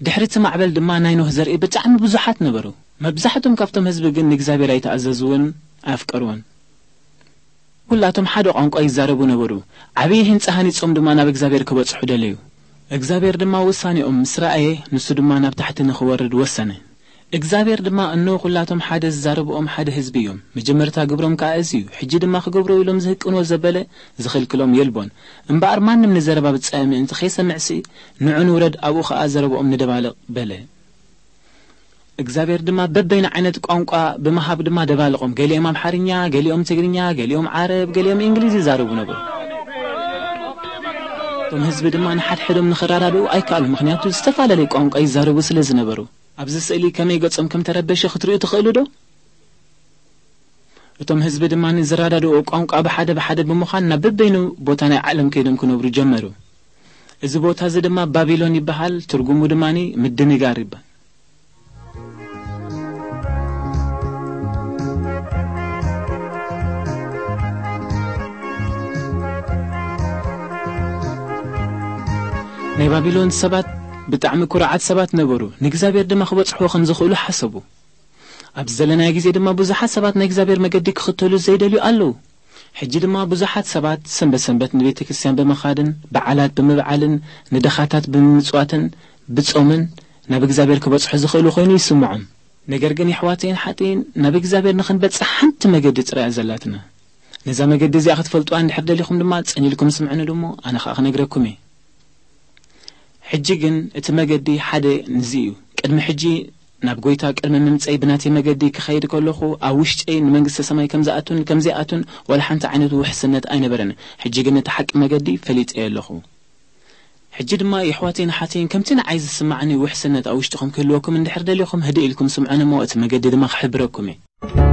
ድሕሪ እቲ ማዕበል ድማ ናይ ኖህ ዘርኢ ብጣዕሚ ብዙሓት ነበሩ። መብዛሕትኦም ካብቶም ህዝቢ ግን ንእግዚኣብሔር ኣይተኣዘዝውን ኣየፍቀርዎን። ኩላቶም ሓደ ቋንቋ ይዛረቡ ነበሩ። ዓብዪ ህንጻ ሃኒጾም ድማ ናብ እግዚኣብሔር ክበጽሑ ደለዩ። እግዚኣብሔር ድማ ውሳኔኦም ምስ ረኣየ፣ ንሱ ድማ ናብ ታሕቲ ንኽወርድ ወሰነ። እግዚኣብሔር ድማ፣ እነሆ፣ ኩላቶም ሓደ ዝዛረብኦም ሓደ ህዝቢ እዮም። መጀመርታ ግብሮም ከኣ እዚ እዩ። ሕጂ ድማ ክገብሮ ኢሎም ዝህቅንዎ ዘበለ ዝኽልክሎም የልቦን። እምበኣር ማንም ንዘረባ ብጻየ ምእንቲ ከይሰምዕሲ፣ ንዑ ንውረድ፣ ኣብኡ ኸኣ ዘረብኦም ንደባልቕ፣ በለ። እግዚኣብሔር ድማ በበይኑ ዓይነት ቋንቋ ብምሃብ ድማ ደባልቖም። ገሊኦም ኣምሓርኛ፣ ገሊኦም ትግርኛ፣ ገሊኦም ዓረብ፣ ገሊኦም እንግሊዝ ይዛረቡ ነበሩ። እቶም ህዝቢ ድማ ንሓድሕዶም ንኽረዳድኡ ኣይከኣሉ፣ ምኽንያቱ ዝተፈላለየ ቋንቋ ይዛረቡ ስለ ዝነበሩ። ኣብዚ ስእሊ ከመይ ገጾም ከም ተረበሸ ክትርእዩ ትኽእሉ ዶ? እቶም ህዝቢ ድማ ዝረዳድኡ ቋንቋ ብሓደ ብሓደ ብምዃን ናብ በበይኑ ቦታ ናይ ዓለም ከይዶም ክነብሩ ጀመሩ። እዚ ቦታ እዚ ድማ ባቢሎን ይበሃል። ትርጉሙ ድማ ምድንጋር ይበሃል። ናይ ባቢሎን ሰባት ብጣዕሚ ኩርዓት ሰባት ነበሩ። ንእግዚኣብሔር ድማ ክበጽሕዎ ከም ዝኽእሉ ሓሰቡ። ኣብዚ ዘለናዮ ግዜ ድማ ብዙሓት ሰባት ናይ እግዚኣብሔር መገዲ ክኽተሉ ዘይደልዩ ኣለዉ። ሕጂ ድማ ብዙሓት ሰባት ሰንበት ሰንበት ንቤተ ክርስቲያን ብምኻድን በዓላት ብምብዓልን ንደኻታት ብምምጽዋትን ብጾምን ናብ እግዚኣብሔር ክበጽሑ ዝኽእሉ ኮይኑ ይስምዖም። ነገር ግን የሕዋተይን ሓተይን ናብ እግዚኣብሔር ንኽንበጽሕ ሓንቲ መገዲ ጥራይ እያ ዘላትና። ነዛ መገዲ እዚኣ ክትፈልጡዋ እንድሕር ደሊኹም ድማ ጸኒልኩም ስምዑኒ ድሞ ኣነ ኸኣ ክነግረኩም እየ። ሕጂ ግን እቲ መገዲ ሓደ ንዚ እዩ። ቅድሚ ሕጂ ናብ ጐይታ ቅድሚ ምምጸይ ብናተይ መገዲ ክኸይድ ከለኹ ኣብ ውሽጠይ ንመንግስተ ሰማይ ከም ዝኣቱን ከም ዘይኣቱን ዋላ ሓንቲ ዓይነት ውሕስነት ኣይነበረን። ሕጂ ግን እቲ ሓቂ መገዲ ፈሊጠዮ ኣለኹ። ሕጂ ድማ የሕዋተይን ኣሓተይን ከምቲ ንዓይ ዝስምዓኒ ውሕስነት ኣብ ውሽጥኹም ክህልወኩም እንድሕር ደሊኹም ህድእ ኢልኩም ስምዑኒ እሞ እቲ መገዲ ድማ ክሕብረኩም እየ።